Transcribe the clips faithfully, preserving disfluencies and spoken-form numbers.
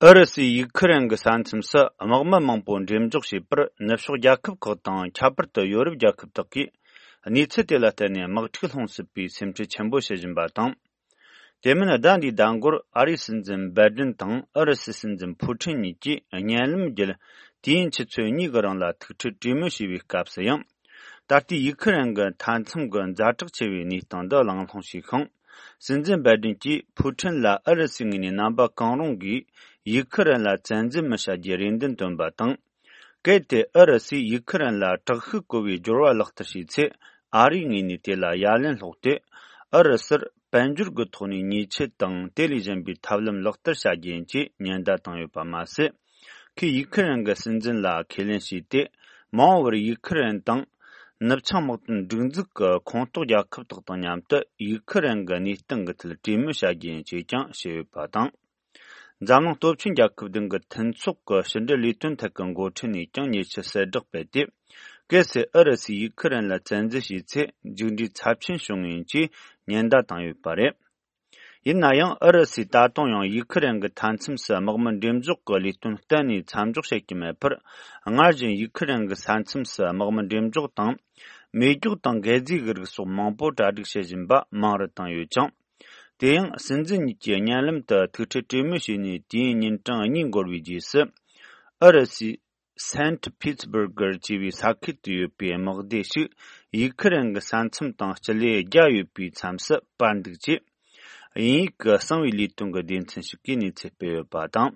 ཨུ་རུ་སུས་ཡུག་ཁི་རན་གྱི་ས་མཚམས་སུ་དམག་མི་མང་པོ་འགྲེམས་འཇོག་བྱས་པར་ནུབ་ཕྱོགས་རྒྱལ་ཁབ་ཁག་དང་ཁྱད་པར་དུ་ཡོ་རོབ་རྒྱལ་ཁབ་དག་གིས་གནས་ཚུལ་དེ་ལ་བརྟེན་ནས་དམག་འཁྲུག་སློང་སྲིད་པའི་སེམས་ཁྲལ་ཆེན་པོ་བྱེད་བཞིན་པ་དང་། དེ་མིན་ཟླ་འདིའི་ཟླ་འགོར་ཨ་རིའི་སྲིད་འཛིན་བའི་ཌེན་དང་ཨུ་རུ་སུའི་སྲིད་འཛིན་ཕུ་ཁྲིན་གཉིས་ཀྱིས་བརྙན་ལམ་བརྒྱུད་དུས་ཡུན་ཆུ་ཚོད་གཉིས་ཀྱི་རིང་ལ་ཐུག་འཕྲད་གྲོས་མོལ་བྱས་པའི་སྐབས་སུ་ཡང་། ད་ལྟའི་ཡུག་ཁི་རན་གྱི་མཐའ་མཚམས་ཀྱི་ཛ་དྲག་ཆེ་བའི་གནས་སྟངས་འདི་གླེང་སློང་བྱས་ཤིང་། སྲིད་འཛིན་བའི་ཌེན་གྱིས་ཕུ་ཁྲིན་ལ་ཨུ་རུ་སུའི་ངོས་ནས་རྣམ་པ་གང་རུང་གིས་ཡུག་ཁི་རན་ལ་བཙན་འཛུལ་མི་བྱ་རྒྱུའི་རེ་འདུན་བཏོན་པ་དང་། གལ་ཏེ་ཨུ་རུ་སུས་ཡུག་ཁི་རན་ལ་དྲག་ཤུགས་བཀོལ་བའི་སྦྱོར་བ་ལག་བསྟར་བྱས་ཚེ། ཨ་རིའི་ངོས་ནས་དེ་ལ་ཡ་ལན་སློག་སྟེ། ཨུ་རུ་སུར་དཔལ་འབྱོར་གྱི་ཐོག་ནས་ཉེས་ཆད་དང་དེ་ལས་གཞན་པའི་ཐབས་ལམ་ལག་བསྟར་བྱ་རྒྱུ་ཡིན་ཅེས་ཉེན་བརྡ་བཏང་ཡོད་པ་མ་ཟད། ཁོས་ཡུག་ཁི་རན་གྱི་སྲིད་འཛིན་ལ་ཁས་ལེན་བྱས་ཏེ། མ་འོངས་པར་ཡུག་ཁི་རན་དང་། ནུབ་བྱང་དམག་དོན་སྒྲིག་འཛུགས་ཀྱི་ཁོངས་གཏོགས་རྒྱལ་ཁབ་དག་དང་མཉམ་དུ་ཡུག་ཁི་རན་གྱི་གནས་སྟངས་ཀྱི་ཐད་གྲོས་མོལ་བྱ་རྒྱུ་ཡིན་ཅེས་ཀྱང་བཤད་ཡོད་པ་དང་། འཛམ་གླིང་སྟོབས་ཆེན་རྒྱལ་ཁབ་བདུན་གྱི་མཐུན་ཚོགས་ཀྱི་ཕྱི་འབྲེལ་ལས་དོན་ཐད་ཀྱི་འགོ་ཁྲིད་ནས་ཀྱང་ཉེ་ཆར་གསལ་བསྒྲགས་སྤེལ་ཏེ། གལ་སྲིད་ཨུ་རུ་སུས་ཡུག་ཁི་རན་ལ་བཙན་འཛུལ་བྱས་ཚེ་མཇུག་འབྲས་ཚབས་ཆེན་བྱུང་ངེས་ཡིན་ཅེས་ཉེན་བརྡ་བཏང་ཡོད་པ་རེད། ཡིན་ན་ཡང་ཨུ་རུ་སུས་ད་དུང་ཡང་ཡུག་ཁི་རན་གྱི་མཐའ་མཚམས་སུ་དམག་མི་འགྲེམས་འཇོག་གི་ལས་དོན་གཏན་ནས་མཚམས་འཇོག་བྱེད་ཀྱི་མེད་པར། སྔར་བཞིན་ཡུག་ཁི་རན་གྱི་ས་མཚམས་སུ་དམག་མི་འགྲེམས་འཇོག་དང་། མེ་སྒྱོགས་དང་འགད་རྫས་ཀྱི་རིགས་སོགས་མང་པོ་གྲ་སྒྲིག་བྱེད་བཞིན་པ་མང་རུ་བཏང་ཡོད་ཅིང་། དེ་ཡང་སྲིད་འཛིན་གཉིས་ཀྱིས་བརྙན་ལམ་དུ་ཐུག་འཕྲད་གྲོས་མོལ་བྱས་ནས་དུས་ཡུན་ཉིན་གྲངས་གཉིས་འགོར་བའི་རྗེས་སུ། ཨུ་རུ་སུའི་སེན་ཊི་པི་ཊི་སྦུར་གར་ཅེས་པའི་ས་ཁུལ་དུ་ཡོད་པའི་དམག་སྡེ་ཞིག་ཡུག་ཁི་རན་གྱི་ས་མཚམས་དང་སྤྱི་ལེ་བརྒྱ་ཡོད་པའི་མཚམས་སུ་སྤར་འདུག་ཅེས། དབྱིན་ཡིག་གི་གསང་བའི་ལས་དོན་གྱི་སྡེ་ཚན་ཞིག་གིས་གནས་ཚུལ་སྤེལ་ཡོད་པ་དང་།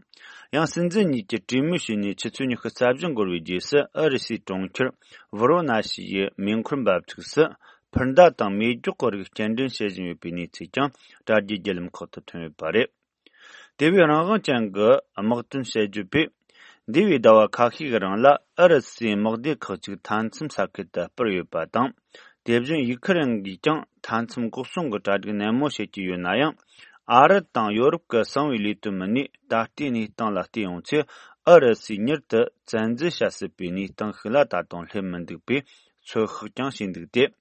ཡང་སྲིད་འཛིན་གཉིས་ཀྱིས་གྲོས་མོལ་བྱས་ནས་ཆུ་ཚོད་ཉི་ཤུ་རྩ་བཞི་འགོར་བའི་རྗེས་སུ་ཨུ་རུ་སུའི་གྲོང་ཁྱེར་ཝོ་རོ་ན་ཤི་ཡི་མེ་འཁོར་འབབ་ཚུགས་སུ་འཕུར་མདའ་དང་མེ་སྒྱོགས་ཀྱི་རིགས་སྐྱེལ་འདྲེན་བྱེད་བཞིན་ཡོད་པའི་གནས་ཚུལ་ཀྱང་དྲ་རྒྱའི་བརྒྱུད་ལམ་ཁག་ཏུ་ཐོན་ཡོད་པ་རེད། དེ་བས་རང་དབང་ཅན་གྱི་དམག་དོན་དཔྱད་བརྗོད་པས། འདས་པའི་ཟླ་བ་ཁ་ཤས་ཀྱི་རིང་ལ་ཨུ་རུ་སུའི་དམག་སྡེ་ཁག་ཅིག་མཐའ་མཚམས་ས་ཁུལ་དུ་སྤར་ཡོད་པ་དང་། དེ་བཞིན་ཡུག་ཁི་རན་གྱིས་ཀྱང་མཐའ་མཚམས་འགོག་སྲུང་གི་གྲ་སྒྲིག་ནན་མོ་བྱེད་ཀྱི་ཡོད་ན་ཡང་། ཨ་རི་དང་ཡོ་རོབ་ཀྱི་གསང་བའི་ལས་དོན་མི་སྣས་ད་ལྟའི་གནས་སྟངས་ལ་བལྟས་ཡོང་ཚེ། ཨུ་རུ་སུས་མྱུར་དུ་བཙན་འཛུལ་བྱ་སྲིད་པའི་གནས་སྟངས་ཤིག་ལ་ད་དུང་སླེབས་མི་འདུག་པའི་ཚོད་དཔག་ཀྱང་བྱས་འདུག་སྟེ།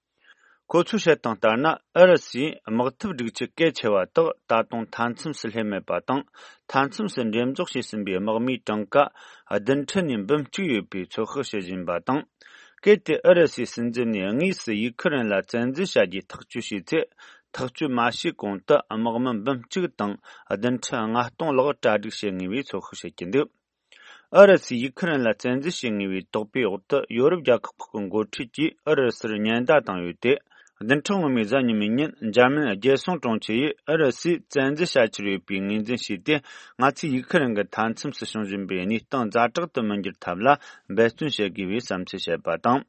ཁོ་ཚོས་བཤད་སྟངས་ལྟར་ན། ཨུ་རུ་སུའི་དམག་འཐབ་སྒྲིག་ཆས་གལ་ཆེ་བ་དག་ད་དུང་མཐའ་མཚམས་སུ་སླེབས་མེད་པ་དང་། མཐའ་མཚམས་སུ་འགྲེམས་འཇོག་བྱས་ཟིན་པའི་དམག་མིའི་གྲངས་ཀ་བདུན་ཁྲི་ནས་འབུམ་གཅིག་ཡོད་པའི་ཚོད་དཔག་བྱེད་བཞིན་པ་དང་། གལ་ཏེ་ཨུ་རུ་སུའི་སྲིད་འཛིན་ནས་དངོས་སུ་ཡུག་ཁི་རན་ལ་བཙན་འཛུལ་བྱ་རྒྱུའི་ཐག་གཅོད་བྱས་ཚེ། ཐག་གཅོད་མ་བྱས་གོང་དུ་དམག་མི་འབུམ་གཅིག་དང་བདུན་ཁྲི་ལྔ་སྟོང་ལྷག་གྲ་སྒྲིག་བྱེད་ངེས་པའི་ཚོད་དཔག་བྱེད་ཀྱི་འདུག་ཨུ་རུ་སུས་ཡུག་ཁི་རན་ལ་བཙན་འཛུལ་བྱེད་ངེས་པའི་དོགས་པའི་འོག་ཏུ། ཡོ་རོབ་རྒྱལ་ཁབ་ཁག་གི་འགོ་ཁྲིད་ཀྱིས་ཨུ་རུ་སུར་ཉེན་བརྡ་བཏང་ཡོད་དེ། བདུན་ཕྲག་སྔོན་མའི་གཟའ་ཉི་མའི་ཉིན། འཇར་མན་རྒྱལ་སྲུང་དྲུང་ཆེ་ཡིས་ཨུ་རུ་སུས་བཙན་འཛུལ་བྱ་འཆར་ཡོད་པའི་ངོས་འཛིན་བྱས་ཏེ། ང་ཚོས་ཡུག་ཁི་རན་གྱི་མཐའ་མཚམས་སུ་བྱུང་བཞིན་པའི་གནས་སྟངས་ཛ་དྲག་ཏུ་མི་འགྱུར་ཐབས་ལ་འབད་བརྩོན་བྱེད་དགོས་པའི་བསམ་ཚུལ་བཤད་པ་དང་།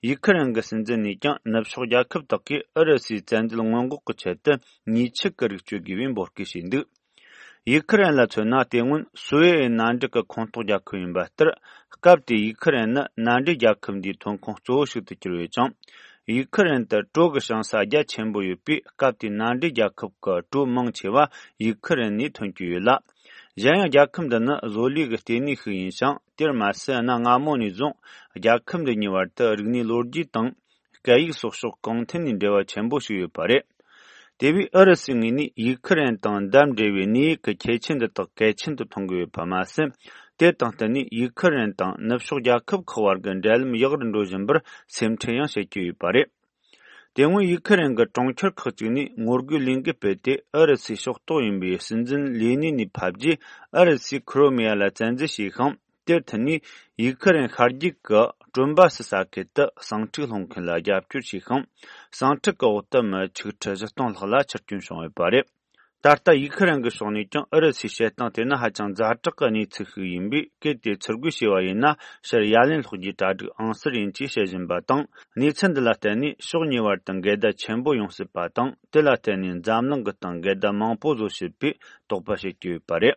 ཡུག་ཁི་རན་གྱི་སྲིད་འཛིན་ནས་ཀྱང་ནུབ་ཕྱོགས་རྒྱལ་ཁབ་དག་གིས་ཨུ་རུ་སུའི་བཙན་འཛུལ་སྔོན་འགོག་གི་ཆེད་དུ་ཉེས་ཆད་ཀྱི་རིགས་གཅོད་དགོས་པའི་འབོད་སྐུལ་བྱས་འདུག་ཡུག་ཁི་རན་ལ་མཚོན་ན། དེ་སྔོན་སུའེ་ཨེ་མནའ་འབྲེལ་གྱི་ཁོངས་གཏོགས་རྒྱལ་ཁབ་ཡིན་པ་ལྟར། སྐབས་དེའི་ཡུག་ཁི་རན་ནི་མནའ་འབྲེལ་རྒྱལ་ཁབ་འདིའི་ཐོན་ཁུངས་གཙོ་བོ་ཞིག་ཏུ་གྱུར་ཡོད་ཅིང་། ཡུག་ཁི་རན་དུ་གྲོ་གི་ཞིང་ས་རྒྱ་ཆེན་པོ་ཡོད་པས། སྐབས་དེའི་མནའ་འབྲེལ་རྒྱལ་ཁབ་ཀྱི་གྲོ་མང་ཆེ་བ་ཡུག་ཁི་རན་ནས་ཐོན་གྱི་ཡོད་ལ། གཞན་ཡང་རྒྱལ་ཁབ་འདི་ནི་བཟོ་ལས་ཀྱི་ལྟེ་གནས་ཤིག་ཡིན་ཞིང་། དེར་མ་ཟད། གནའ་སྔ་མོ་ནས་བཟུང་རྒྱལ་ཁབ་འདི་གཉིས་བར་དུ་རིག་གནས་ལོ་རྒྱུས་དང་། སྐད་ཡིག་སོགས་ཕྱོགས་གང་ཐད་ནས་འབྲེལ་བ་ཆེན་པོ་ཞིག་ཡོད་པ་རེད། དེ་བས་ཨུ་རུ་སུའི་ངོས་ནས་ཡུག་ཁི་རན་དང་འདབས་འབྲེལ་བའི་གནས་ཡུལ་གྱི་ཁྱད་ཆོས་འདི་དག་གལ་ཆེན་དུ་མཐོང་གི་ཡོད་པ་མ་ཟད། དེ་དང་བསྟུན་ནས་ཡུག་ཁི་རན་དང་ནུབ་ཕྱོགས་རྒྱལ་ཁབ་ཁག་བར་གྱི་འབྲེལ་ལམ་ཡག་རུ་འགྲོ་བཞིན་པར་སེམས་ཁྲལ་ཡང་བྱེད་ཀྱི་ཡོད་པ་རེད། དེ་སྔོན་ཡུག་ཁི་རན་གྱི་གྲོང་ཁྱེར་ཁག་ཅིག་ནས་ངོ་རྒོལ་ལས་འགུལ་སྤེལ་ཏེ། ཨུ་རུ་སུའི་ཕྱོགས་གཏོགས་ཡིན་པའི་སྲིད་འཛིན་ལས་གནས་ནས་ཕབ་རྗེས། ཨུ་རུ་སུས་ཁི་རོ་མེ་ཡ་ལ་བཙན་འཛུལ་བྱས་ཤིང་། དེར་མཐུད་ནས་ཡུག་ཁི་རན་ཤར་རྒྱུད་ཀྱི་ཀྲོན་བཱ་སི་ས་ཁུལ་དུ་ཟིང་འཁྲུག་སློང་མཁན་ལ་རྒྱབ་སྐྱོར་བྱས་ཤིང་། ཟིང་འཁྲུག་གི་འོག་ཏུ་མི་ཆིག་ཁྲི་བཞི་སྟོང་ལྷག་ལ་འཆི་སྐྱོན་བྱུང་ཡོད་པ་རེད། ད་ལྟ་ཡུག་ཁི་རན་གྱི་ཕྱོགས་ནས་ཀྱང་ཨུ་རུ་སུའི་བྱེད་སྟངས་དེ་ནི་ཧ་ཅང་ཛ་དྲག་གི་གནས་ཚུལ་ཞིག་ཡིན་པས། གལ་ཏེ་ཚུར་རྒོལ་བྱས་པ་ཡིན་ན། ཕྱིར་ཡ་ལན་སློག་རྒྱུའི་གྲ་སྒྲིག་ཨང་གསར་ཡིན་ཅེས་བཤད་བཞིན་པ་དང་། གནས་ཚུལ་འདི་ལ་བརྟེན་ནས་ཕྱོགས་གཉིས་བར་དུ་འགལ་ཟླ་ཆེན་པོ་ཡོང་སྲིད་པ་དང་། དེ་ལ་བརྟེན་ནས་འཛམ་གླིང་གི་སྟེང་འགལ་ཟླ་མང་པོ་བཟོ་སྲིད་པའི་དོགས་པ་བྱེད་ཀྱི་ཡོད་པ་རེད།